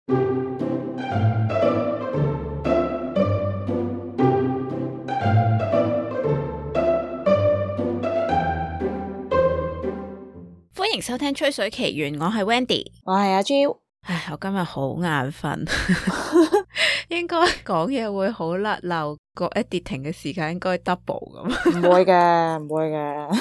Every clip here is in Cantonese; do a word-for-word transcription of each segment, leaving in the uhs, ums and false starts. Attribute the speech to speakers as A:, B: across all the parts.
A: 歡迎收聽吹水奇緣，我係 Wendy，
B: 我係阿 Jo。
A: 唉，我今日好眼瞓，應該講嘢會好甩漏，個 editing 嘅時間應該 double 咁。
B: 唔會嘅，唔會嘅，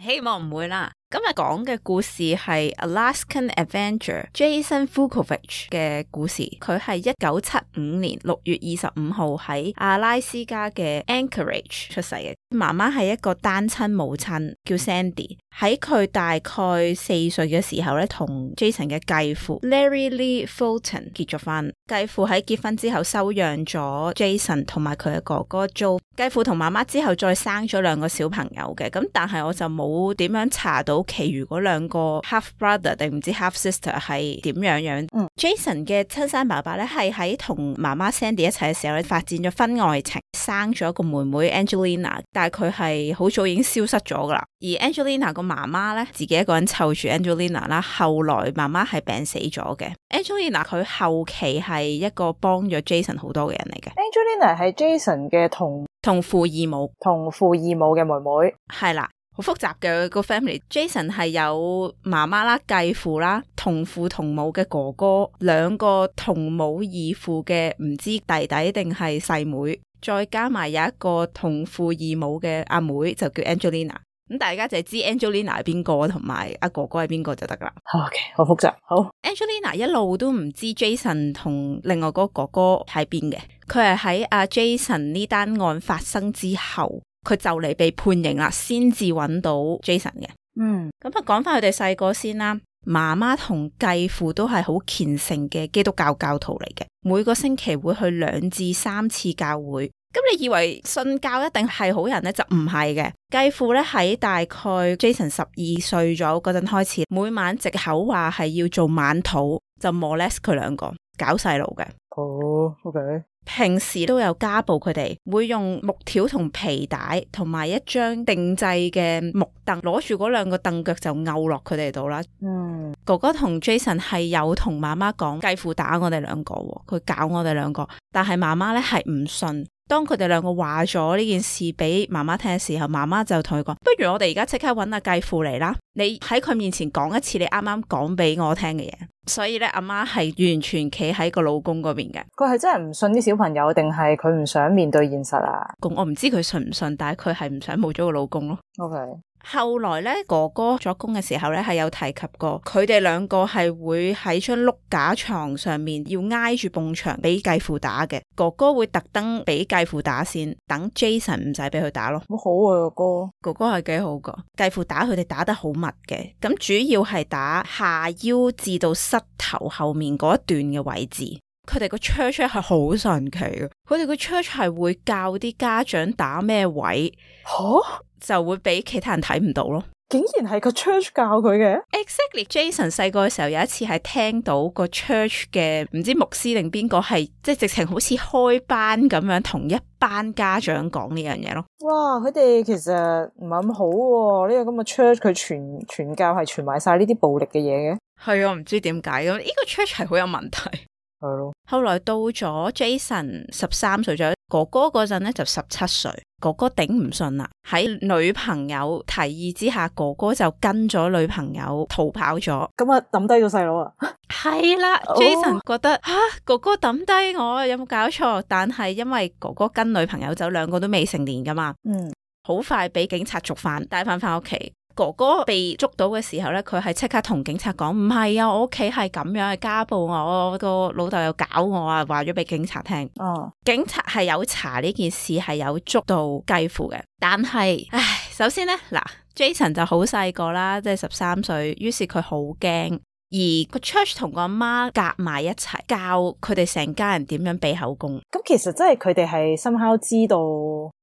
A: 希望唔會啦。今日講嘅故事係 Alaskan Avenger Jason Vukovich 嘅故事。佢係一九七五年六月二十五號喺阿拉斯加嘅 Anchorage 出世嘅。媽媽係一個單親母親，叫 Sandy。喺佢大概四歲嘅時候咧，同 Jason 嘅繼父 Larry Lee Fulton 結咗婚。繼父喺結婚之後收養咗 Jason 同埋佢嘅哥哥 Joe。繼父同媽媽之後再生咗兩個小朋友嘅，咁但係我就冇點樣查到其餘嗰兩個 half brother 定唔知 half sister 係點樣樣。嗯、Jason 嘅親生爸爸咧係喺同媽媽 Sandy 一齊嘅時候咧發展咗婚外情，生咗一個妹妹 Angelina， 但係佢係好早已經消失咗噶啦。而 Angelina 個媽媽咧自己一個人湊住 Angelina 啦，後來媽媽係病死咗嘅。Angelina 佢後期係一個幫咗 Jason 好多嘅人嚟嘅。
B: Angelina 係 Jason 嘅同
A: 同父異母，
B: 同父異母嘅妹妹，
A: 係啦，好複雜嘅個 family。Jason 係有媽媽啦、繼父啦、同父同母嘅哥哥，兩個同母異父嘅唔知弟弟定係細妹，再加埋有一個同父異母嘅阿妹，妹，就叫 Angelina。咁大家就係知 Angelina 係邊個，同埋阿哥哥係邊個就得啦。
B: OK， 好複雜。好
A: ，Angelina 一路都唔知 Jason 同另外嗰個哥哥喺邊嘅。佢係喺阿 Jason 呢單案發生之後，佢就嚟被判刑啦，先至揾到 Jason 嘅。
B: 嗯，
A: 咁啊，講翻佢哋細個先啦。媽媽同繼父都係好虔誠嘅基督教教徒嚟嘅，每個星期會去兩至三次教會。咁你以為信教一定係好人呢？就唔係嘅。繼父咧喺大概 Jason 十二歲咗嗰陣開始，每晚藉口話係要做晚禱，就 molest 佢兩個，搞細路嘅。
B: 哦、oh, OK。
A: 平時都有家暴佢哋，會用木條同皮帶同埋一張定制嘅木凳，攞住嗰兩個凳腳就拗落佢哋度啦。嗯，哥哥同 Jason 係有同媽媽講繼父打我哋兩個，佢搞我哋兩個，但係媽媽咧係唔信。當佢哋兩個話咗呢件事俾媽媽聽嘅時候，媽媽就同佢講：不如我哋而家即刻搵阿繼父嚟啦！你喺佢面前講一次你啱啱講俾我聽嘅嘢。所以咧，阿媽係完全企喺個老公嗰邊嘅。
B: 佢係真係唔信啲小朋友，定係佢唔想面對現實啊？
A: 我唔知佢信唔信，但係佢係唔想冇咗個老公咯。
B: OK。
A: 後來咧，哥哥作工嘅時候咧，係有提及過，佢哋兩個係會喺張碌架床上面要挨住埲牆俾繼父打嘅。哥哥會特登俾繼父打先，等 Jason 唔使俾佢打咯。
B: 好好啊，哥哥，
A: 哥哥係幾好噶。繼父打佢哋打得好密嘅，咁主要係打下腰至到膝頭後面嗰一段嘅位置。佢哋個 church 係好神奇嘅，佢哋個 church 係會教啲家長打咩位，吓就會俾其他人睇唔到咯。
B: 竟然係個 church 教佢嘅
A: ？Exactly。Jason 細個嘅時候有一次係聽到個 church 嘅唔知牧師定邊個係即係直情好似開班咁樣同一班家長講呢樣嘢咯。
B: 哇！佢哋其實唔係咁好喎，呢個咁嘅 church 佢傳傳教係傳埋晒呢啲暴力嘅嘢嘅。
A: 係啊，唔知點解咁呢個 church 係好有問題。
B: 係咯。
A: 後來到咗 Jason 十三歲咗，哥哥嗰陣咧就十七歲。哥哥頂唔順啦，喺女朋友提議之下，哥哥就跟咗女朋友逃跑咗。
B: 咁啊，抌低咗細佬啊？
A: 係啦。oh. Jason 覺得吓、啊、哥哥抌低我，有冇搞錯？但係因為哥哥跟女朋友走，兩個都未成年噶嘛。嗯，好快俾警察捉翻，帶翻翻屋企。哥哥被捉到嘅時候咧，佢係即刻同警察講：唔係啊，我屋企係咁樣嘅家暴我，我個老豆又搞我啊，話咗俾警察聽。哦，警察係有查呢件事，係有捉到繼父嘅。但係，唉，首先咧，嗱 ，Jason 就好細個啦，即係十三歲，於是佢好驚。而個 church 同個阿媽夾埋一齊教佢哋成家人點樣俾口供。
B: 咁其實真係佢哋係 somehow 知道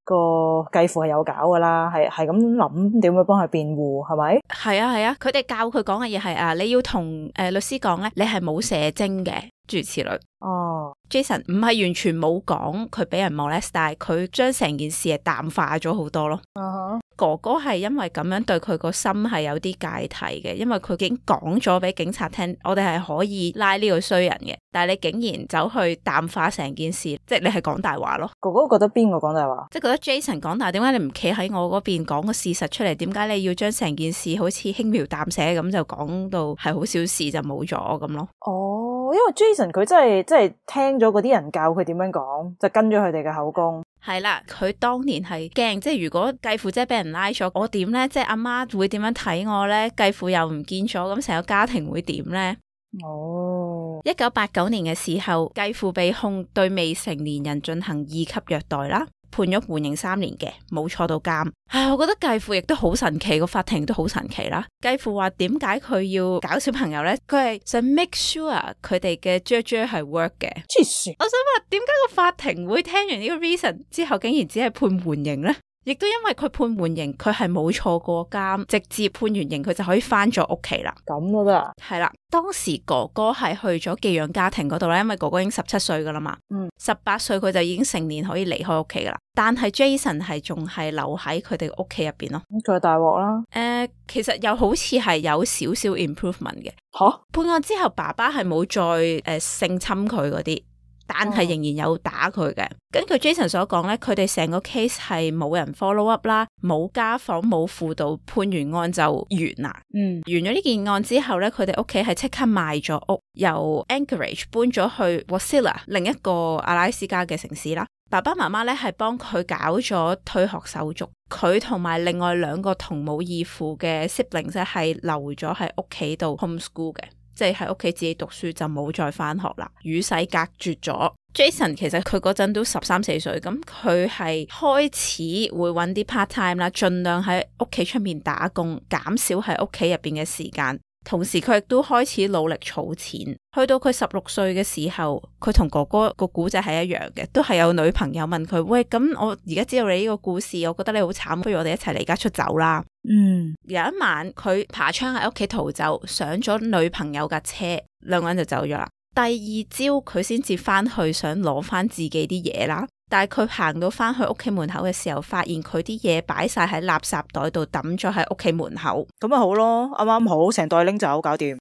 B: 個繼父係有搞噶啦，係係咁諗點樣幫佢辯護，係咪？
A: 係啊係啊，佢哋教佢講嘅嘢係啊，你要同誒、呃、律師講咧，你係冇射精嘅，諸如此類。哦 ，Jason 唔係完全冇講佢俾人 molest，但係佢將成件事係淡化咗好多咯。Uh-huh. 哥哥係因為咁樣對佢個心係有啲芥蒂嘅，因為佢已經講咗俾警察聽，我哋係可以拉呢個衰人嘅，但係你竟然走去淡化成件事，即係你係講大話咯。
B: 哥哥覺得邊個講大話？
A: 即係覺得 Jason 講大話，點解你唔企喺我嗰邊講個事實出嚟？點解你要將成件事好似輕描淡寫咁就講到係好小事就冇咗咁咯？
B: 哦，因為 Jason 佢真係真係聽咗嗰啲人教佢點樣講，就跟咗佢哋嘅口供。
A: 係啦，佢當年係驚，即係如果繼父姐俾人拉咗，我點呢？即係阿媽會點樣睇我呢？繼父又唔見咗，咁成個家庭會點呢？
B: 哦，
A: 一九八九年嘅時候，繼父被控對未成年人進行二級虐待啦，判咗緩刑三年嘅，冇坐到監。唉，我覺得繼父亦都好神奇，個法庭都好神奇啦。繼父話點解佢要搞小朋友呢？佢係想 make sure 佢哋嘅 judge 係 work 嘅。
B: 黐線！
A: 我想話點解個法庭會聽完呢個 reason 之後，竟然只係判緩刑呢？亦都因為佢判緩刑，佢係冇坐過監，直接判完刑佢就可以翻咗屋企啦。
B: 咁都得啊？
A: 係啦，當時哥哥係去咗寄養家庭嗰度咧，因為哥哥已經十七歲噶啦嘛，
B: 嗯，
A: 十八歲佢就已經成年可以離開屋企噶啦。但係 Jason 係仲係留喺佢哋屋企入邊咯。
B: 咁佢係大鑊啦。
A: 誒、呃，其實又好似係有少少 improvement 嘅。
B: 吓？
A: 判案之後，爸爸係冇再誒、呃、性侵佢嗰啲。但係仍然有打佢嘅。根據 Jason 所講咧，佢哋成個 case 係冇人 follow up 啦，冇家訪，冇輔導，判完案就完啦。
B: 嗯，
A: 完咗呢件案之後咧，佢哋屋企係即刻賣咗屋，由 Anchorage 搬咗去 Wasilla 另一個阿拉斯加嘅城市啦。爸爸媽媽咧係幫佢搞咗退學手續，佢同埋另外兩個同母異父嘅 siblings 係留咗喺屋企度 homeschool 嘅。即係喺屋企自己讀書，就冇再翻學啦，與世隔絕咗。Jason 其實佢嗰陣都十三四歲，咁佢係開始會揾啲 part time 啦，盡量喺屋企出面打工，減少喺屋企入邊嘅時間。同時佢亦都開始努力儲錢。去到佢十六歲嘅時候，佢同哥哥個古仔係一樣嘅，都係有女朋友問佢：喂，咁我而家知道你呢個故事，我覺得你好慘，不如我哋一齊離家出走啦。
B: 嗯，
A: 有一晚佢爬窗喺屋企逃走，上咗女朋友架車，兩個人就走咗啦。第二朝佢先至翻去想攞翻自己啲嘢啦，但係佢行到翻去屋企門口嘅時候，發現佢啲嘢擺晒喺垃圾袋度，抌咗喺屋企門口。
B: 咁咪好咯，啱啱好，成袋拎走，搞掂。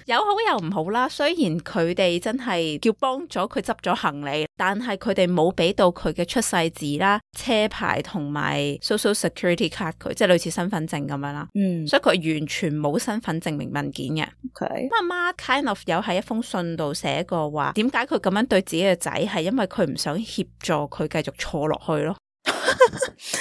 A: 有好有唔好啦，雖然佢哋真係叫幫咗佢執咗行李，但係佢哋冇俾到佢嘅出世紙啦、車牌同埋 social security card 佢，即係類似身份證咁樣啦。
B: 嗯，
A: 所以佢完全冇身份證明文件嘅。
B: OK，
A: 阿媽 kind of 有喺一封信度寫過話，點解佢咁樣對自己嘅仔，係因為佢唔想協助佢繼續錯落去咯。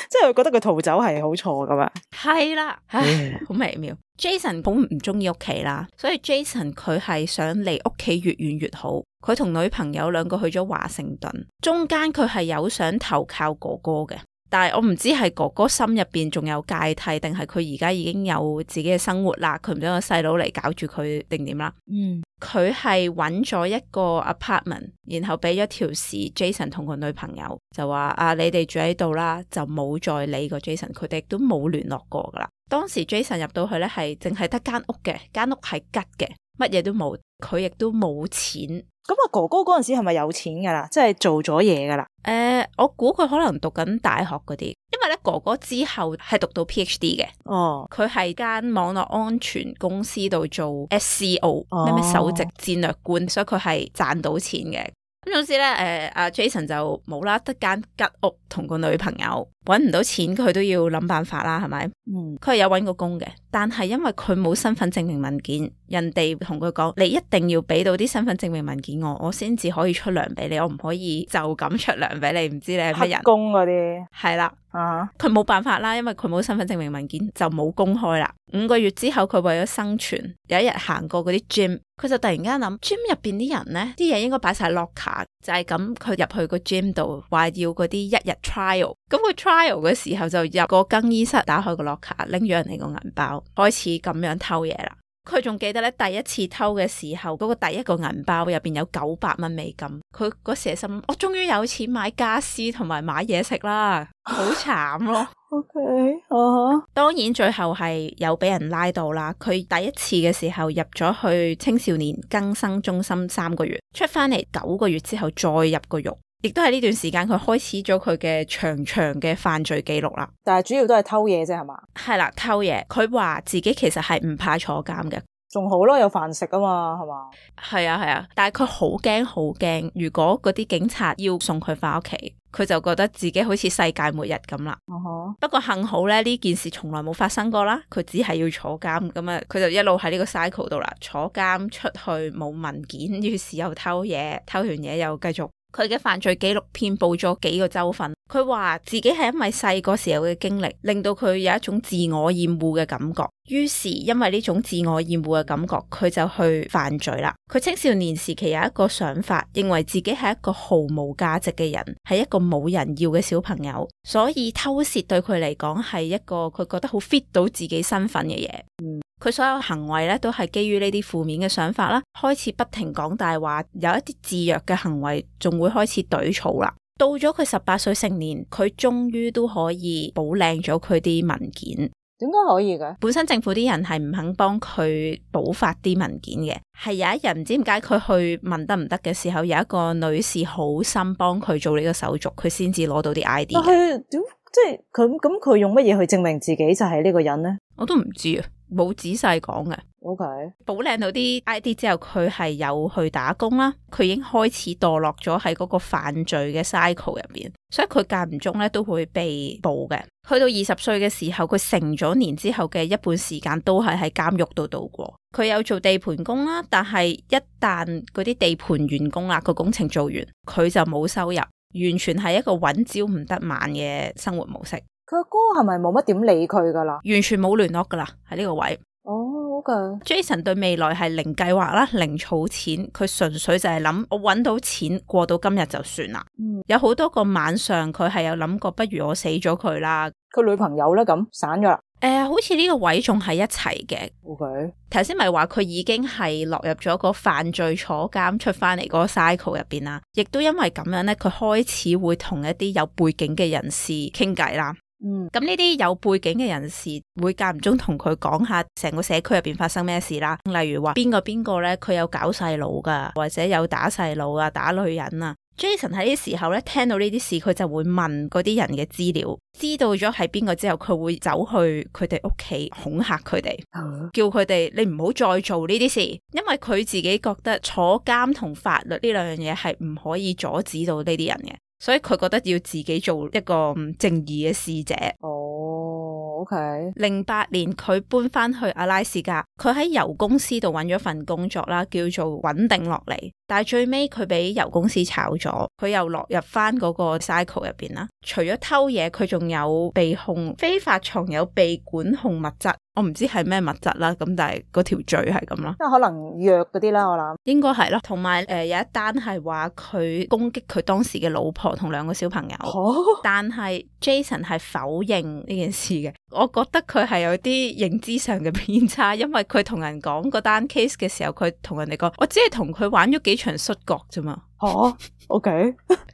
B: 即係佢覺得佢逃走係好錯噶嘛？
A: 係啦，唉，好微妙。Jason 好唔中意屋企啦，所以 Jason 佢係想離屋企越遠越好。佢同女朋友兩個去咗華盛頓，中間佢係有想投靠哥哥嘅，但係我唔知係哥哥心入邊仲有芥蒂，定係佢而家已經有自己嘅生活啦，佢唔想個細佬嚟搞住佢定點啦。
B: 嗯，
A: 佢係揾咗一個 apartment，然後俾咗條匙 Jason 同個女朋友，就話啊，你哋住喺度啦，就冇再理過 Jason， 佢哋都冇聯絡過噶啦。當時 Jason 入到去咧，係淨係得間屋嘅，間屋係吉嘅，乜嘢都冇，佢亦都冇錢。
B: 咁啊，哥哥嗰陣時係咪有錢噶啦？即係做咗嘢噶啦？
A: 誒、呃，我估佢可能讀緊大學嗰啲，因為咧哥哥之後係讀到 PhD 嘅。
B: 哦，佢
A: 係間網絡安全公司度做 S C O，咩咩首席戰略官，所以佢係賺到錢嘅。咁總之咧，誒、呃，阿 Jason 就冇啦，得間吉屋同個女朋友，搵唔到錢，佢都要諗辦法啦，係咪？
B: 嗯，
A: 佢係有搵過工嘅，但係因為佢冇身份證明文件，人哋同佢講，你一定要俾到啲身份證明文件我，我先至可以出糧俾你，我唔可以就咁出糧俾你，唔知你係乜人？
B: 黑工嗰啲
A: 係啦。
B: 啊，
A: 佢冇辦法啦，因為佢冇身份證明文件，就冇公開啦。五個月之後，佢為咗生存，有一日行過嗰啲 gym，佢就突然間諗 gym 入邊啲人呢，啲嘢應該擺晒 locker，就係咁。佢入去個 gym 度，話要嗰啲一日 trial。咁佢 trial 嘅時候就入個更衣室，打開個 locker，拎咗人哋個銀包，開始咁樣偷嘢啦。佢仲記得咧，第一次偷嘅時候，嗰、那個第一個銀包入邊有九百蚊美金。佢嗰時心，我終於有錢買家私同埋買嘢食啦，好慘咯。
B: OK，啊、uh-huh.
A: 當然最後係有俾人拉到啦。佢第一次嘅時候入咗去青少年更生中心三個月，出翻嚟九個月之後再入個獄。亦都係呢段時間佢開始咗佢嘅長長嘅犯罪記錄啦。
B: 但係主要都係偷嘢啫係嘛？
A: 係啦，偷嘢。佢話自己其實係唔怕坐監嘅。
B: 仲好咯，有飯食啊嘛，係嘛？
A: 係啊係啊，但係佢好驚好驚，如果嗰啲警察要送佢翻屋企，佢就覺得自己好似世界末日咁啦。
B: Uh-huh.
A: 不過幸好咧，呢件事從來冇發生過啦，佢只係要坐監，咁啊佢就一路喺呢個 cycle 度啦，坐監出去冇文件，於是又偷嘢，偷完嘢又繼續。佢嘅犯罪記錄遍佈咗幾個州份。佢話自己係因為細個時候嘅經歷令到佢有一種自我厭惡嘅感覺，於是因為呢種自我厭惡嘅感覺，佢就去犯罪啦。佢青少年時期有一個想法，認為自己係一個毫無價值嘅人，係一個冇人要嘅小朋友，所以偷竊對佢嚟講係一個佢覺得好 fit 到自己身份嘅嘢。嗯，佢所有行為咧都係基於呢啲負面嘅想法啦，開始不停講大話，有一啲自虐嘅行為，仲會開始懟草啦。到咗佢十八歲成年，佢終於都可以補靚咗佢啲文件。
B: 點解可以嘅？
A: 本身政府啲人係唔肯幫佢補發啲文件嘅，係有一日唔知點解佢去問得唔得嘅時候，有一個女士好心幫佢做呢個手續，佢先至攞到啲 I D。但
B: 係點即係佢咁佢用乜嘢去證明自己就係呢個人呢？
A: 我都唔知啊，冇仔細講嘅。
B: OK，
A: 補靚到啲 I D 之後，佢係有去打工啦。佢已經開始墮落咗喺嗰個犯罪嘅 cycle 入邊，所以佢間唔中咧都會被捕嘅。去到二十歲嘅時候，佢成咗年之後嘅一半時間都係喺監獄度度過。佢有做地盤工啦，但係一旦嗰啲地盤完工啦，個工程做完，佢就冇收入，完全係一個揾朝唔得晚嘅生活模式。
B: 佢阿哥係咪冇乜點理佢噶啦？
A: 完全冇聯絡噶啦，喺呢個位。
B: 哦、oh, OK。Jason
A: 對未來係零計劃啦，零儲錢，佢純粹就係諗我揾到錢過到今日就算啦。嗯，有好多個晚上佢係有諗過，不如我死咗佢啦。
B: 佢女朋友咧咁散咗啦。
A: 誒、呃，好似呢個位仲係一齊嘅。
B: OK。
A: 頭先咪話佢已經係落入咗個犯罪坐監出翻嚟嗰個 cycle 入邊啦，亦都因為咁樣咧，佢開始會同一啲有背景嘅人士傾偈啦。嗯，咁呢啲有背景嘅人士會間唔中同佢講下成個社區入邊發生咩事啦，例如話邊個邊個咧，佢有搞細佬噶，或者有打細佬啊，打女人啊。Jason 喺呢啲時候咧，聽到呢啲事，佢就會問嗰啲人嘅資料，知道咗係邊個之後，佢會走去佢哋屋企恐嚇佢哋，嗯、叫佢哋你唔好再做呢啲事，因為佢自己覺得坐監同法律呢兩樣嘢係唔可以阻止到呢啲人嘅。所以佢覺得要自己做一個正義嘅使者。
B: 哦、oh, OK。零
A: 八年佢搬翻去阿拉斯加，佢喺油公司度揾咗份工作啦，叫做穩定落嚟。但係最尾佢俾油公司炒咗，佢又落入翻嗰個 cycle 入邊啦。除咗偷嘢，佢仲有被控非法藏有被管控物質。我唔知係咩物質啦，咁但係嗰條罪係咁啦，
B: 即係可能藥嗰啲啦，我諗
A: 應該係咯。同埋誒有一單係話佢攻擊佢當時嘅老婆同兩個小朋友，哦、但係 Jason 係否認呢件事嘅。我覺得佢係有啲認知上嘅偏差，因為佢同人講嗰單 case 嘅時候，佢同人哋講我只係同佢玩咗幾場摔角啫嘛。
B: 哦 OK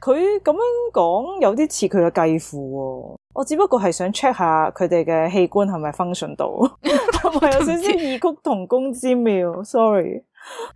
B: 佢咁樣講有啲似佢嘅繼父喎。我只不過係想 check 下佢哋嘅器官係咪 function 到，同埋有少少異曲同工之妙。Sorry，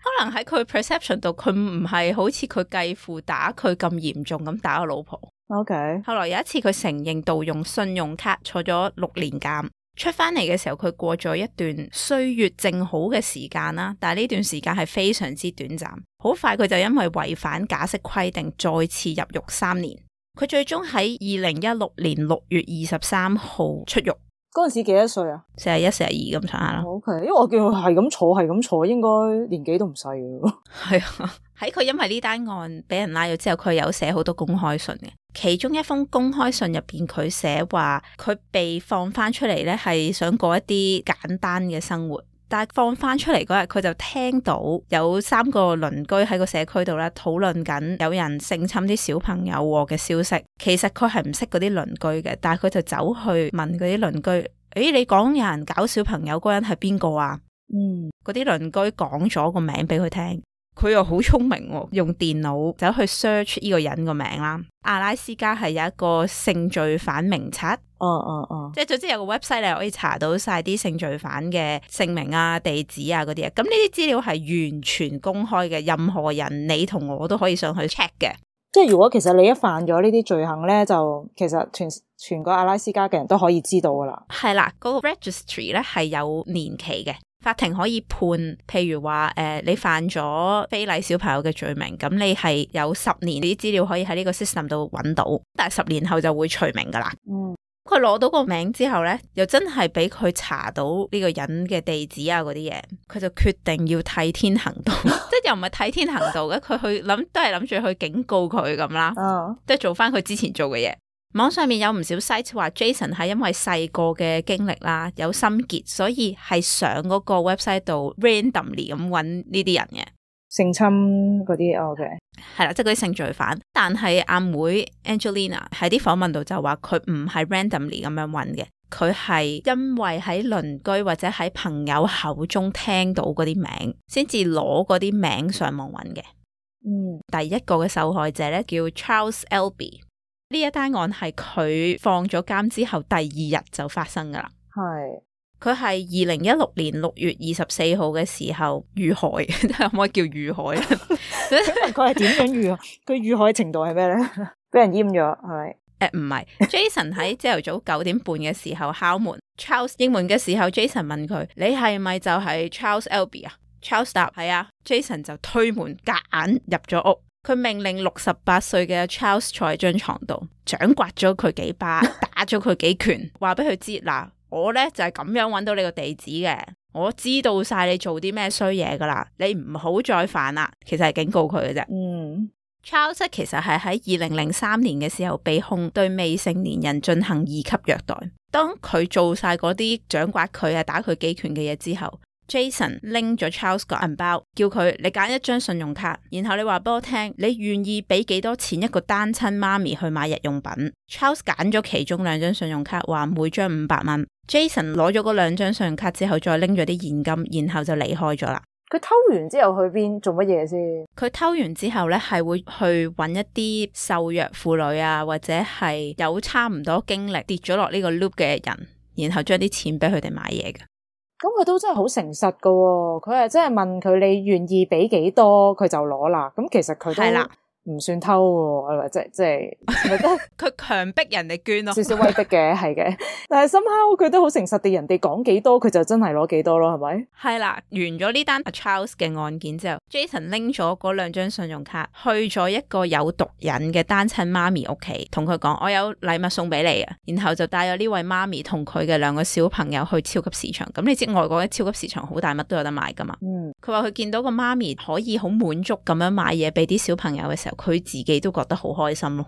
A: 可能喺佢 perception 度，佢唔係好似佢繼父打佢咁嚴重咁打個老婆。
B: OK，
A: 後來有一次佢承認盜用信用卡，坐咗六年監。出翻嚟嘅時候，佢過咗一段歲月靜好嘅時間啦，但係呢段時間係非常之短暫。好快佢就因為違反假釋規定，再次入獄三年。佢最終喺二零一六年六月二十三號出獄。
B: 嗰陣時幾多歲啊？
A: 四十一、四十二咁上下啦。
B: OK，因為我叫佢係咁坐，係咁坐，應該年紀都唔細嘅。
A: 係啊，喺佢因為呢單案俾人拉咗之後，佢有寫好多公開信嘅。其中一封公開信入邊，佢寫話佢被放翻出嚟咧，係想過一啲簡單嘅生活。但係放翻出嚟嗰日，佢就聽到有三個鄰居喺個社區度咧討論緊有人性侵啲小朋友嘅消息。其實佢係唔識嗰啲鄰居嘅，但係佢就走去問嗰啲鄰居：誒，你講有人搞小朋友嗰人係邊個啊？嗯，嗰啲鄰居講咗個名俾佢聽。佢又好聰明喎，用電腦走去 search 呢個人個名啦。阿拉斯加係有一個性罪犯名冊，
B: 哦哦哦，
A: 即係總之有個 website 你可以查到晒啲性罪犯嘅姓名啊、地址啊嗰啲啊。咁呢啲資料係完全公開嘅，任何人你同我都可以上去 check 嘅。
B: 即係如果其實你一犯咗呢啲罪行咧，就其實全全個阿拉斯加嘅人都可以知道噶啦。
A: 係啦，嗰、那個 registry 咧係有年期嘅，法庭可以判，譬如話誒、呃、你犯咗非禮小朋友嘅罪名，咁你係有十年啲資料可以喺呢個 system 度揾到，但係十年後就會除名噶啦。嗯。佢攞到個名之後咧，又真係俾佢查到呢個人嘅地址啊嗰啲嘢，佢就決定要替天行道，即係又唔係替天行道嘅，佢去諗都係諗住去警告佢咁啦，即係、oh. 做翻佢之前做嘅嘢。網上面有唔少 site 話 Jason 係因為細個嘅經歷啦，有心結，所以係上嗰個 website 度 randomly 咁揾呢啲人嘅。
B: 性侵嗰啲 OK
A: 係啦，即係嗰啲性罪犯。但係阿妹 Angelina 喺啲訪問度就話佢唔係 randomly 咁樣揾嘅，佢係因為喺鄰居或者喺朋友口中聽到嗰啲名，先至攞嗰啲名上網揾嘅。嗯，第一個嘅受害者咧叫 Charles Albee， 呢一單案係佢放咗監之後第二日就發生噶啦。係。佢係二零一六年六月二十四號嘅時候遇害，可唔可以叫遇害咧？
B: 佢係點樣遇害？佢遇害程度係咩咧？俾人閹咗係咪？
A: 誒唔係 ，Jason 喺朝頭早九點半嘅時候敲門，Charles 應門嘅時候 ，Jason 問佢：你係咪就係 Charles Albee 啊 ？Charles 答係啊 ，Jason 就推門夾硬入咗屋，佢命令六十八歲嘅 Charles 坐喺張床度，掌摑咗佢幾巴，打咗佢幾拳，話俾佢知嗱。我咧就係、是、咁樣揾到你個地址嘅，我知道晒你做啲咩衰嘢噶啦，你唔好再犯啦。其實係警告佢嘅啫。嗯 ，Charles 其實係喺二零零三年嘅時候被控對未成年人進行二級虐待。當佢做晒嗰啲掌摑佢啊、打佢幾拳嘅嘢之後， Jason 拎咗 Charles 個銀包，叫佢你揀一張信用卡，然後你話俾我聽，你願意俾幾多錢一個單親媽咪去買日用品。 Charles 揀咗其中兩張信用卡，話每張五百蚊。Jason 攞咗嗰兩張信用卡之後，再拎咗啲現金，然後就離開咗啦。
B: 佢偷完之後去邊做乜嘢先？
A: 佢偷完之後咧，係會去揾一啲受虐婦女啊，或者係有差唔多經歷跌咗落呢個 loop 嘅人，然後將啲錢俾佢哋買嘢嘅。
B: 咁佢都真係好誠實噶喎，佢係真係問佢你願意俾幾多，佢就攞啦。咁其實佢都係啦。唔算偷喎，即係即係，咪得
A: 佢強迫人哋捐咯，
B: 少少威逼嘅，係嘅。但係somehow佢都好誠實地，人哋講幾多，佢就真係攞幾多咯，係咪？
A: 係啦，完咗呢單 Charles 嘅案件之後 ，Jason 拎咗嗰兩張信用卡去咗一個有毒癮嘅單親媽咪屋企，同佢講我有禮物送俾你啊，然後就帶咗呢位媽咪同佢嘅兩個小朋友去超級市場。咁你知外國嘅超級市場好大，乜都有得買噶嘛。嗯，佢話佢見到個媽咪可以好滿足咁樣買嘢俾啲小朋友嘅時候，佢自己都覺得好開心咯。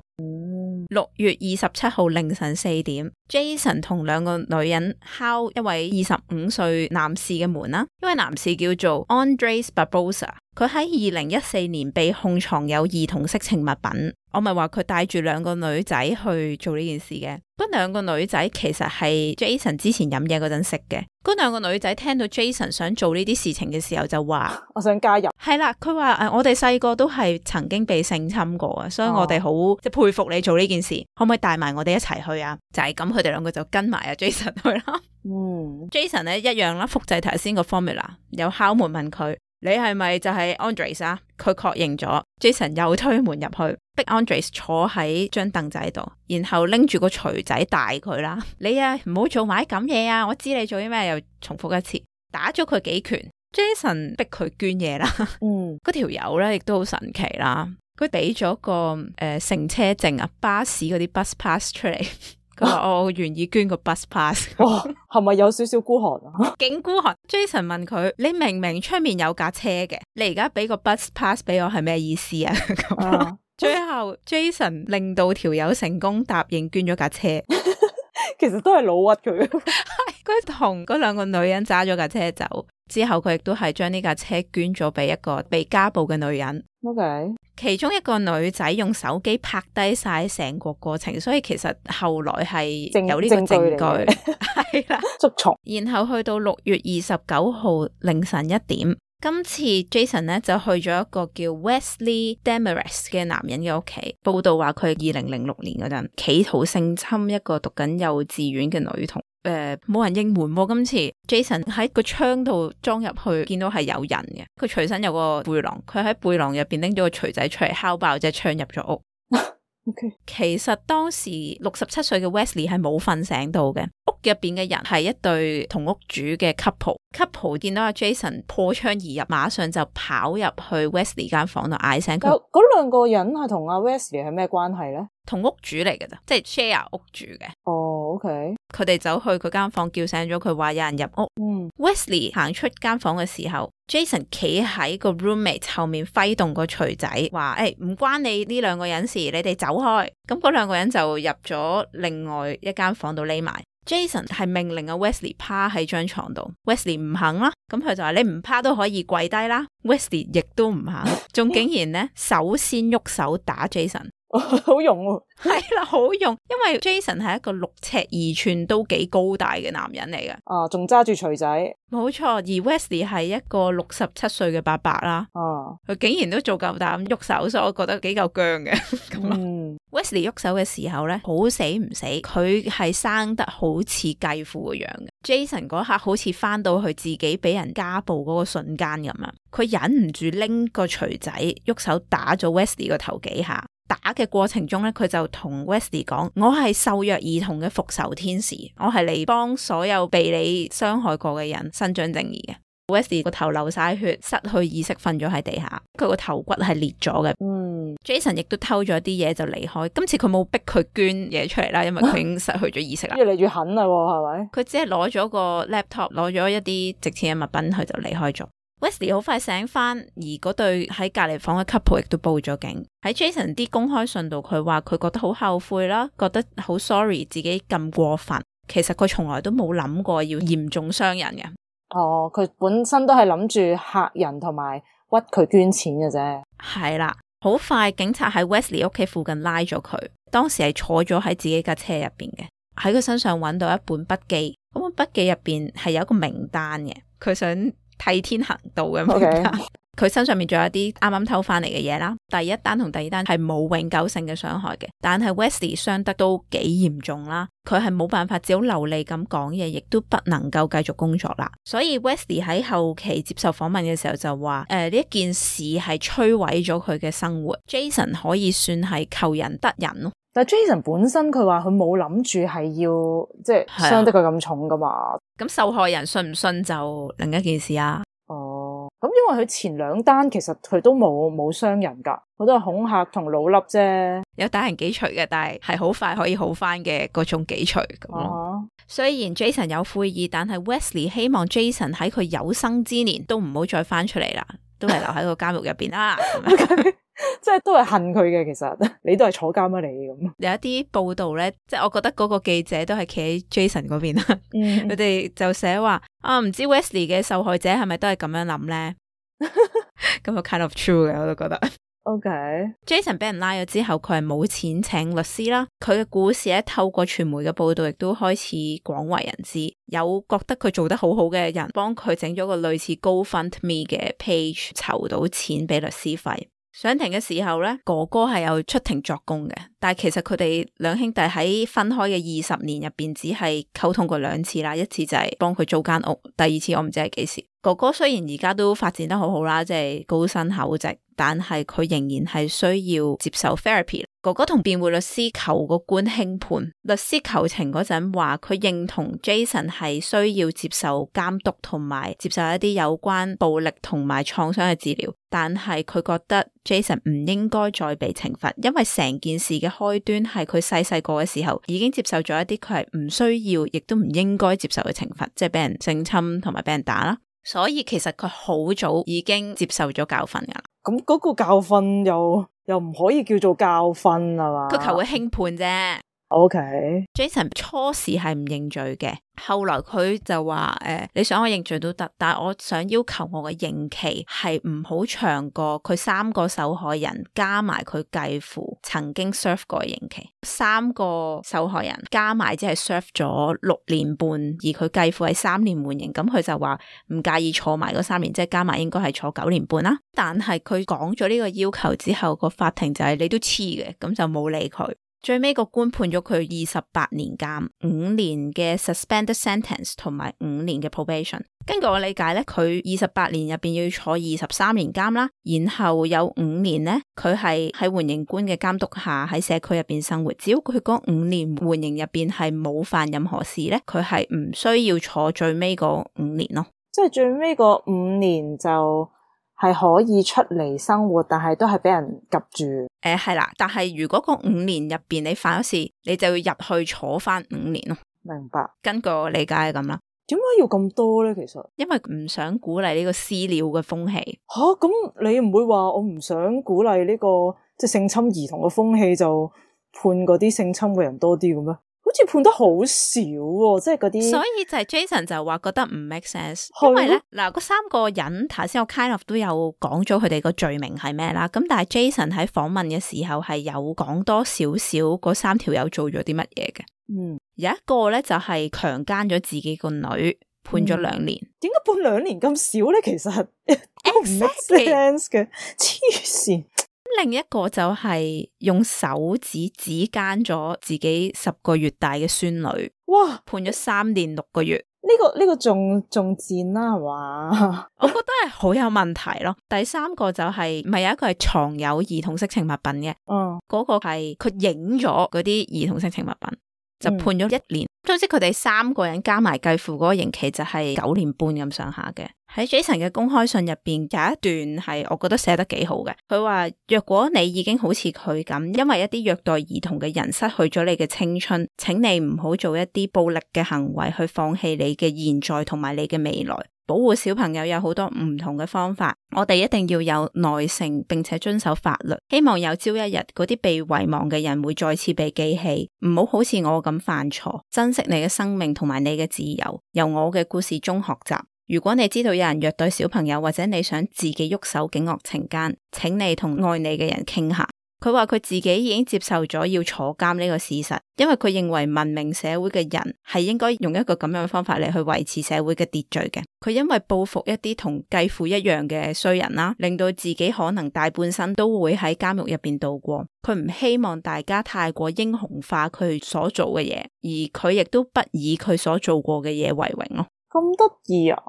A: 六月二十七號凌晨四點 Jason 同兩個女人敲一位二十五歲男士嘅門啦。一位男士叫做 Andres Barbosa， 佢喺二零一四年被控藏有兒童色情物品。我咪話佢帶住兩個女仔去做呢件事嘅。嗰兩個女仔其實係 Jason 之前飲嘢嗰陣識嘅。嗰兩個女仔聽到 Jason 想做呢啲事情嘅時候就話
B: 我想加入。
A: 係啦，佢話誒我哋細個都係曾經被性侵過啊，所以我哋好即係佩服你做呢件事，可唔可以帶埋我哋一齊去啊？就係咁，佢哋兩個就跟埋阿 Jason 去啦。嗯 Jason 咧一樣啦，複製頭先個 formula， 有敲門問佢你係咪就係 Andres 啊？佢確認咗 Jason 又推門入去，逼 Andres 坐喺張凳仔度，然後拎住個錘仔大佢啦。你啊唔好做埋咁嘢啊！我知你做啲咩，又重複一次，打咗佢幾拳。Jason 逼佢捐嘢啦。嗯，嗰條友咧亦都好神奇啦。佢俾咗個誒、呃、乘車證啊，巴士嗰啲 bus pass 出嚟。佢話我願意捐個 bus pass。
B: 哇，係咪有少少孤寒啊？
A: 勁孤寒。Jason 問佢：你明明出面有架車嘅，你而家俾個 bus pass 俾我係咩意思啊？咁最後 Jason 令到條友成功答應捐咗架車。
B: 其實都係老屈佢。
A: 佢同嗰兩個女人揸咗架車走之後，佢亦都係將呢架車捐咗俾一個被家暴嘅女人。
B: OK，
A: 其中一個女仔用手機拍低晒成個過程，所以其實後來係有呢個證據，係啦，
B: 捉蟲。
A: 然後去到六月二十九號凌晨一點，今次 Jason 咧就去咗一個叫 Wesley Demarest 嘅男人嘅屋企，報道話佢二零零六年嗰陣企圖性侵一個讀緊幼稚園嘅女童。誒，冇、呃、人應門喎、啊。今次 Jason 喺個窗度裝入去，見到係有人嘅。佢隨身有個背囊，佢喺背囊入邊拎咗個錘仔出嚟，敲爆隻窗入咗屋。
B: OK，
A: 其實當時六十七歲嘅 Wesley 係冇瞓醒到嘅，屋入邊嘅人係一對同屋主嘅 couple，couple 見到阿 Jason 破窗而入，馬上就跑入去 Wesley 間房度嗌醒佢。
B: 嗰兩個人係同阿 Wesley 係咩關係咧？
A: 同屋主嚟嘅咋，即係 share 屋住嘅。
B: 哦 ，OK，
A: 佢哋走去佢間房叫醒咗佢，話有人入屋。
B: 嗯
A: Wesley 行出間房嘅時候，Jason 企喺個 roommate 後面揮動個錘仔，話誒唔關你呢兩個人事，你哋走開。咁嗰兩個人就入咗另外一間房度匿埋。Jason 係命令阿 Wesley 趴喺張床度 ，Wesley 唔肯啦，咁佢就話你唔趴都可以跪低啦。Wesley 亦都唔肯，仲竟然咧首先喐手打 Jason。
B: 好用喎，
A: 係啦，好用，因為 Jason 係一個六尺二寸都幾高大嘅男人嚟嘅。
B: 啊，仲揸住錘仔，
A: 冇錯。而 Wesley 係一個六十七歲嘅伯伯啦，
B: 啊，
A: 佢竟然都做夠膽喐手，所以我覺得幾夠僵嘅。咁
B: 嗯
A: Wesley 喐手嘅時候咧，好死唔死，佢係生得好似繼父個樣嘅。Jason 嗰刻好似翻到去自己俾人家暴嗰個瞬間咁樣，佢忍唔住拎個錘仔喐手打咗 Wesley 個頭幾下。打嘅過程中咧，佢就同 Wesley 講：我係受虐兒童嘅復仇天使，我係嚟幫所有被你傷害過嘅人伸張正義嘅。Wesley 個頭流晒血，失去意識，瞓咗喺地下，佢個頭骨係裂咗嘅。
B: 嗯
A: Jason 亦都偷咗啲嘢就離開。今次佢冇逼佢捐嘢出嚟啦，因為佢已經失去咗意識啦。
B: 越嚟越狠啦，係咪？
A: 佢只係攞咗個 laptop，攞咗一啲值錢嘅物品，佢就離開咗。Wesley 好快醒翻，而嗰對喺隔離房嘅 couple 亦都報咗警。喺 Jason 啲公開信度，佢話佢覺得好後悔啦，覺得好 sorry 自己咁過分。其實佢從來都冇諗過要嚴重傷人嘅。
B: 哦，佢本身都係諗住嚇人同埋屈佢捐錢嘅啫。
A: 係啦，好快警察喺 Wesley 屋企附近拉咗佢，當時係坐咗喺自己架車入邊嘅，喺佢身上揾到一本筆記，嗰本筆記入邊係有一個名單嘅，佢想替天行道嘅名單。佢、okay. 身上面仲有一啲啱啱偷翻嚟嘅嘢啦。第一單同第二單係冇永久性嘅傷害嘅，但係 Wesley 傷得都幾嚴重啦。佢係冇辦法只好流利咁講嘢，亦都不能夠繼續工作啦。所以 Wesley 喺後期接受訪問嘅時候就話：誒呢一件事係摧毀咗佢嘅生活。Jason 可以算係求人得人咯。
B: 但係 Jason 本身佢話佢冇諗住係要即係傷得佢咁重噶嘛。
A: 咁受害人信唔信就另一件事啊。
B: 哦，咁因為佢前兩單其實佢都冇冇傷人噶，佢都係恐嚇同老笠啫，
A: 有打人幾錘嘅，但係係好快可以好翻嘅嗰種幾錘咁咯。Uh-huh. 雖然 Jason 有悔意，但係 Wesley 希望 Jason 喺佢有生之年都唔好再翻出嚟啦，都係留喺個監獄入邊啦。
B: 即係都係恨佢嘅，其實你都係坐監啊你咁。
A: 有一啲報道咧，即係我覺得嗰個記者都係企喺 Jason 嗰邊啦。佢、嗯、哋就寫話啊，唔知 Wesley 嘅受害者係咪都係咁樣諗咧？咁就 kind of true 嘅，我都覺得。OK，Jason 俾人拉咗之後，佢係冇錢請律師啦。佢嘅故事咧，透過傳媒嘅報道，亦都開始廣為人知。有覺得佢做得好好嘅人，幫佢整咗個類似 GoFundMe 嘅 page，籌到錢俾律師費。上庭嘅時候咧，哥哥係有出庭作供嘅，但係其實佢哋兩兄弟喺分開嘅二十年入邊，只係溝通過兩次啦。一次就係幫佢租間屋，第二次我唔知係幾時。哥哥雖然而家都發展得好好啦，即係高薪厚職，但係佢仍然係需要接受 therapy。哥哥同辯護律師求個官輕判，律師求情嗰陣話佢認同 Jason 係需要接受監督同埋接受一啲有關暴力同埋創傷嘅治療，但係佢覺得 Jason 唔應該再被懲罰，因為成件事嘅開端係佢細細個嘅時候已經接受咗一啲佢係唔需要亦都唔應該接受嘅懲罰，即係俾人性侵同埋俾人打啦。所以其實佢好早已經接受咗教訓噶啦。
B: 咁嗰個教訓又又唔可以叫做教訓啊嘛？
A: 佢求佢輕判啫。
B: OK，Jason
A: 初時係唔認罪嘅，後來佢就話誒、呃，你想我認罪都得，但係我想要求我嘅刑期係唔好長過佢三個受害人加埋佢繼父曾經 serve 過嘅刑期。三個受害人加埋只係 serve 咗六年半，而佢繼父係三年緩刑，咁佢就話唔介意坐埋嗰三年，即係加埋應該係坐九年半啦。但係佢講咗呢個要求之後，個法庭就係你都黐嘅，咁就冇理佢。最尾個官判咗佢二十八年監，五年嘅 suspended sentence 同埋五年嘅 probation。根據我理解咧，佢二十八年入邊要坐二十三年監啦，然後有五年咧，佢係喺緩刑官嘅監督下喺社區入邊生活。只要佢嗰五年緩刑入邊係冇犯任何事咧，佢係唔需要坐最尾嗰五年咯。
B: 即係最尾嗰五年就係可以出嚟生活，但係都係俾人夾住。
A: 誒係啦，但係如果嗰五年入邊你犯咗事，你就要入去坐翻五年咯。
B: 明白。根
A: 據我理解係咁啦。
B: 點解要咁多咧？其實
A: 因為唔想鼓勵呢個私了嘅風氣。
B: 吓，咁你唔會話我唔想鼓勵呢個即係性侵兒童嘅風氣，就判嗰啲性侵嘅人多啲嘅咩？好似判得好少喎，即係嗰啲。所
A: 以就係 Jason 就話覺得唔 make sense，因為咧嗱，嗰三個人頭先我 kind of 都有講咗佢哋個罪名係咩啦。咁但係 Jason 喺訪問嘅時候係有講多少少嗰三條友做咗啲乜嘢嘅。
B: 嗯，
A: 有一個咧就係強姦咗自己個女，判咗兩年。
B: 點解判兩年咁少咧？其實都唔 make sense 嘅，黐線。
A: 另一個就係用手指指姦咗自己十個月大嘅孫女，
B: 哇！
A: 判咗三年六個月。
B: 呢、這個呢、這個仲仲賤啦，係嘛？
A: 我覺得係好有問題咯。第三個就係、是，咪有一個係藏有兒童色情物品嘅，
B: 嗯，
A: 嗰、那個係佢影咗嗰啲兒童色情物品，就判咗一年。總之佢哋三個人加埋計付嗰個刑期就係九年半咁上下嘅。喺 Jason 嘅公開信入邊有一段係我覺得寫得幾好嘅，佢話若果你已經好似佢咁，因為一啲虐待兒童嘅人失去咗你嘅青春，請你唔好做一啲暴力嘅行為去放棄你嘅現在同埋你嘅未來。保護小朋友有好多唔同嘅方法，我哋一定要有耐性並且遵守法律。希望有朝一日嗰啲被遺忘嘅人會再次被記起，唔好好似我咁犯錯，珍惜你嘅生命同埋你嘅自由，由我嘅故事中學習。如果你知道有人虐待小朋友，或者你想自己喐手警惡懲奸，請你同愛你嘅人傾下。佢話佢自己已經接受咗要坐監呢個事實，因為佢認為文明社會嘅人係應該用一個咁樣嘅方法嚟去維持社會嘅秩序嘅。佢因為報復一啲同繼父一樣嘅衰人啦，令到自己可能大半生都會喺監獄入邊度過。佢唔希望大家太過英雄化佢所做嘅嘢，而佢亦都不以佢所做過嘅嘢為榮咯。
B: 咁得意啊！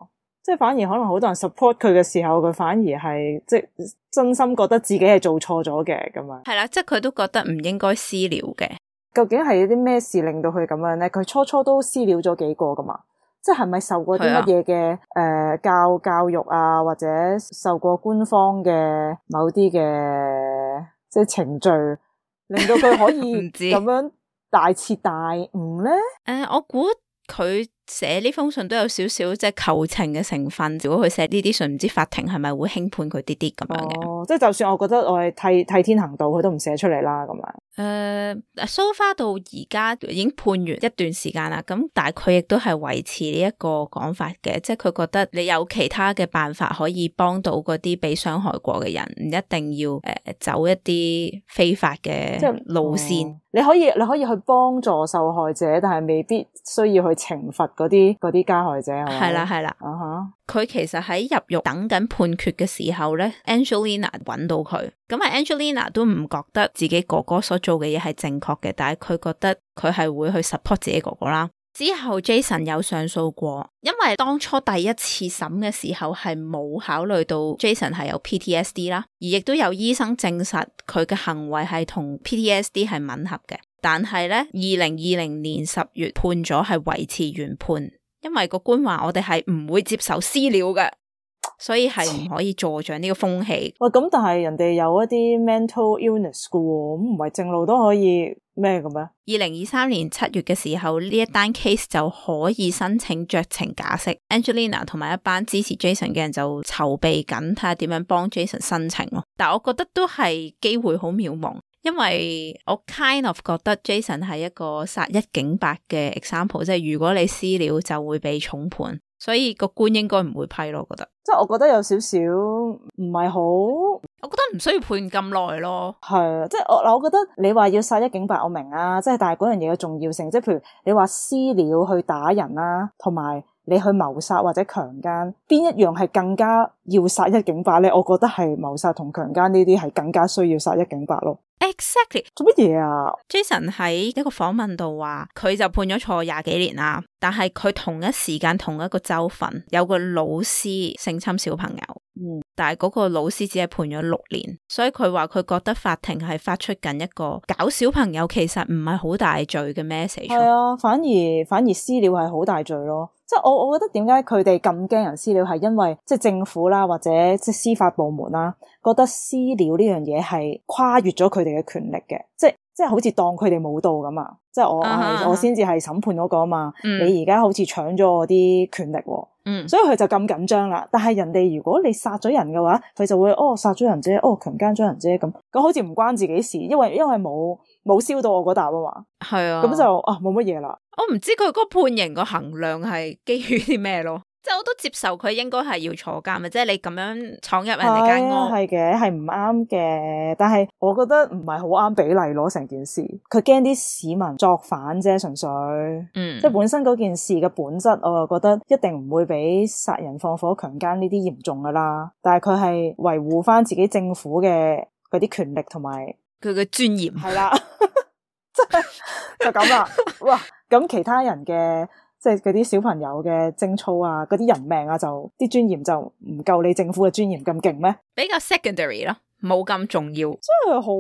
B: 即係反而可能好多人 support 佢嘅時候，佢反而係即係真心覺得自己係做錯咗嘅咁樣。
A: 係啦，即係佢都覺得唔應該私了嘅。
B: 究竟係有啲咩事令到佢咁樣咧？佢初初都私了咗幾個噶嘛？即係係咪受過啲乜嘢嘅誒教教育啊，或者受過官方嘅某啲嘅即係程序，令到佢可以咁樣大徹大悟咧？
A: 誒、uh, 我估佢寫呢封信都有少少即係求情嘅成分。如果佢寫呢啲信，唔知法庭係咪會輕判佢啲啲咁樣嘅？
B: 哦，即係就算我覺得我係替替天行道，佢都唔寫出嚟啦咁樣。
A: 誒、uh, ，so far 到而家已經判完一段時間啦，咁但係佢亦都係維持呢一個講法嘅，即係佢覺得你有其他嘅辦法可以幫到嗰啲被傷害過嘅人，唔一定要誒、呃、走一啲非法嘅路線。
B: 哦、你可以你可以去幫助受害者，但係未必需要去懲罰嗰啲嗰啲加害者係咪？
A: 係啦係啦，
B: 啊哈！
A: 佢其實喺入獄等緊判決嘅時候咧 ，Angelina 揾到佢，咁啊 Angelina 都唔覺得自己哥哥所做嘅嘢係正確嘅，但係佢覺得佢係會去 support 自己哥哥啦。之後 Jason 有上訴過，因為當初第一次審嘅時候係冇考慮到 Jason 係有 P T S D 啦，而亦都有醫生證實佢嘅行為係同 P T S D 係吻合嘅。但係咧，二零二零年十月判咗係維持原判，因為個官話我哋係唔會接受私了嘅，所以係唔可以助長呢個風氣。
B: 喂，咁但係人哋有一啲 mental illness 嘅喎，咁唔係正路都可以咩嘅咩？
A: 二零二三年七月嘅時候，呢一單 case 就可以申請酌情假釋。Angelina 同埋一班支持 Jason 嘅人就籌備緊，睇下點樣幫 Jason 申請咯。但係我覺得都係機會好渺茫。因為我 kind of 覺得 Jason 係一個殺一儆百嘅 example， 即係如果你私了就會被重判，所以個官應該唔會批咯。我覺得，
B: 即係我覺得有少少唔係好，我
A: 覺得唔需要判咁耐咯。
B: 係啊，即係我嗱，我覺得你話要殺一儆百，我明啊，即係但係嗰樣嘢嘅重要性，即係譬如你話私了去打人啦，同埋你去謀殺或者強姦，邊一樣係更加要殺一儆百咧？我覺得係謀殺同強姦呢啲係更加需要殺一儆百咯。
A: Exactly
B: 做乜嘢啊
A: Jason 喺一個訪問度話佢就判咗坐廿幾年啦，但係佢同一時間同一個州份有個老師性侵小朋友，
B: 嗯，
A: 但係嗰個老師只係判咗六年，所以佢話佢覺得法庭係發出緊一個搞小朋友其實唔係好大罪嘅 message。
B: 係啊，反而反而私了係好大罪咯。即係我我覺得點解佢哋咁驚人私了，係因為即係政府啦，或者即係司法部門啦，覺得私了呢樣嘢係跨越咗佢哋嘅權力嘅，即係即係好似當佢哋冇到咁啊！即係我、uh-huh, 我我先至係審判嗰個啊嘛，嗯、你而家好似搶咗我啲權力喎，嗯，所以佢就咁緊張啦。但係人哋如果你殺咗人嘅話，佢就會哦殺咗人啫，哦強姦咗人啫，咁咁好似唔關自己事，因為因為冇冇燒到我嗰笪啊嘛，係啊，咁就啊冇乜嘢啦。
A: 我唔知佢嗰個判刑個衡量係基於啲咩咯，即係我都接受佢應該係要坐監嘅，即係你咁樣闖入人哋間屋，係嘅，係唔啱嘅。但係我覺得唔係好啱比例咯，成件事佢驚啲市民作反啫，純粹，嗯，即係本身嗰件事嘅本質，我又覺得一定唔會比殺人放火強姦呢啲嚴重噶啦。但係佢係維護翻自己政府嘅嗰啲權力同埋
B: 佢
A: 嘅尊嚴，
B: 係啦，即係就咁啦。哇！咁其他人嘅即係嗰啲小朋友嘅貞操啊，嗰啲人命啊，就啲尊嚴就唔夠你政府嘅尊嚴咁勁咩？
A: 比較 secondary 咯，冇咁重要，
B: 真係好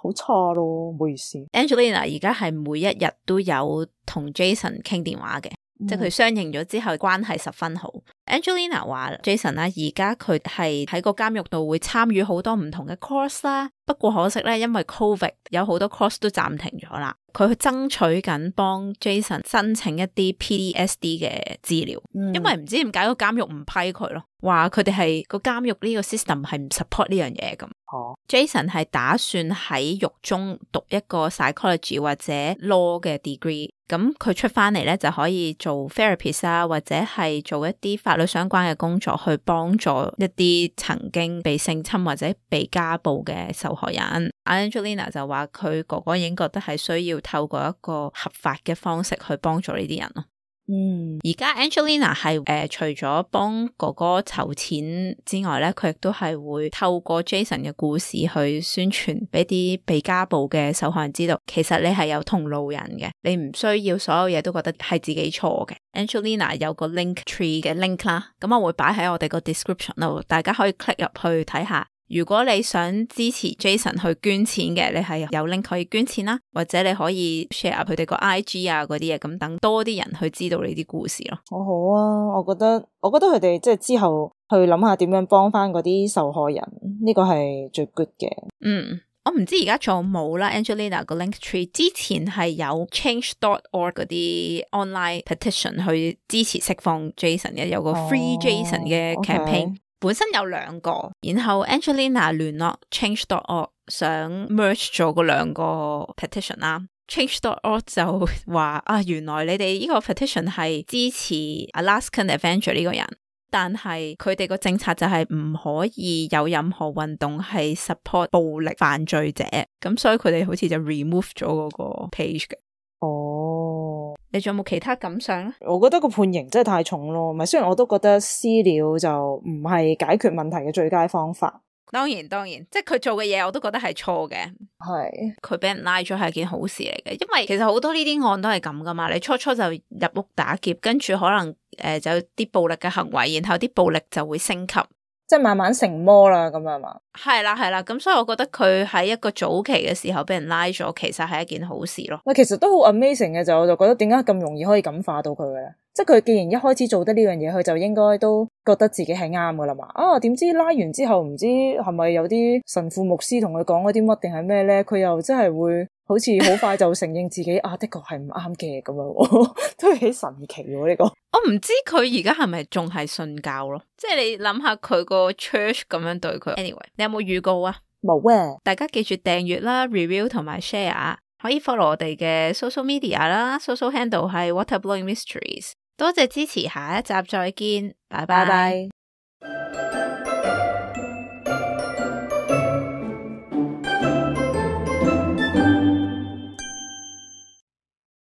B: 好差咯，唔好意思。
A: Angelina 而家係每一日都有同 Jason 傾電話嘅。即係佢相認咗之後關係十分好。Angelina 話 Jason 啦，而家佢係喺個監獄度會參與好多唔同嘅 course 啦，不過可惜咧，因為 Covid 有好多 course 都暫停咗啦。佢去爭取緊幫 Jason 申請一啲 P T S D 嘅治療，嗯、因為唔知點解個監獄唔批佢咯，話佢哋係個監獄呢個 system 係唔 support 呢樣嘢咁。哦、Jason 係打算喺獄中讀一個 psychology 或者 law 嘅 degree， 咁佢出翻嚟咧就可以做 therapist 啊，或者係做一啲法律相關嘅工作，去幫助一啲曾經被性侵或者被家暴嘅受害人。Angelina 就話佢哥哥已經覺得係需要透過一個合法嘅方式去幫助呢啲人咯。嗯，而家 Angelina 係誒、呃、除咗幫哥哥籌錢之外咧，佢亦都係會透過 Jason 嘅故事去宣傳俾啲被家暴嘅受害人知道，其實你係有同路人嘅，你唔需要所有嘢都覺得係自己錯嘅。Angelina 有個 link tree 嘅 link 啦，咁我會擺喺我哋個 description 度，大家可以 click 入去睇下。如果你想支持 Jason 去捐錢嘅，你係有 link 可以捐錢啦，或者你可以 share 佢哋個 I G 啊嗰啲嘢，咁等多啲人去知道呢啲故事咯。
B: 好好啊，我覺得我覺得佢哋即係之後去諗下點樣幫翻嗰啲受害人，呢、這個係最 good 嘅。
A: 嗯，我唔知而家仲冇啦 Angelina 個 link tree， 之前係有 change dot org 嗰啲 online petition 去支持釋放 Jason 嘅，有個 Free Jason 嘅 campaign。哦 okay。本身有兩個，然後 Angelina 聯絡 change dot org 想 merge 咗嗰兩個 petition 啦。change dot org 就話啊，原來你哋呢個 petition 係支持 Alaskan Avenger 呢個人，但係佢哋個政策就係唔可以有任何運動係 support 暴力犯罪者，咁所以佢哋好似就 remove 咗嗰個 page 嘅。哦，你仲有冇其他感想咧？
B: 我覺得個判刑真係太重咯，咪雖然我都覺得私了就唔係解決問題嘅最佳方法。
A: 當然當然，即係佢做嘅嘢我都覺得係錯嘅。係佢俾人拉咗係件好事嚟嘅，因為其實好多呢啲案都係咁噶嘛。你初初就入屋打劫，跟住可能誒、呃、就有啲暴力嘅行為，然後啲暴力就會升級。
B: 即係慢慢成魔啦，咁樣嘛？
A: 係啦係啦，咁所以我覺得佢喺一個早期嘅時候俾人拉咗，其實係一件好事咯。
B: 喂，其實都好 amazing 嘅，就我就覺得點解咁容易可以感化到佢嘅咧？即係佢既然一開始做得呢樣嘢，佢就應該都覺得自己係啱噶啦嘛。啊，點知拉完之後唔知係咪有啲神父牧師同佢講嗰啲乜定係咩咧？佢又真係會好似好快就承認自己啊，的確係唔啱嘅咁樣，都幾神奇喎呢個。
A: 我唔知佢而家係咪仲係信教咯？即係你諗下佢個 church 咁樣對佢。Anyway， 你有冇預告啊？
B: 冇啊！
A: 大家記住訂閱啦、review 同埋 share， 可以 follow 我哋嘅 social media 啦 ，social handle 係 Waterblowing Mysteries。多謝支持，下一集再見，拜拜。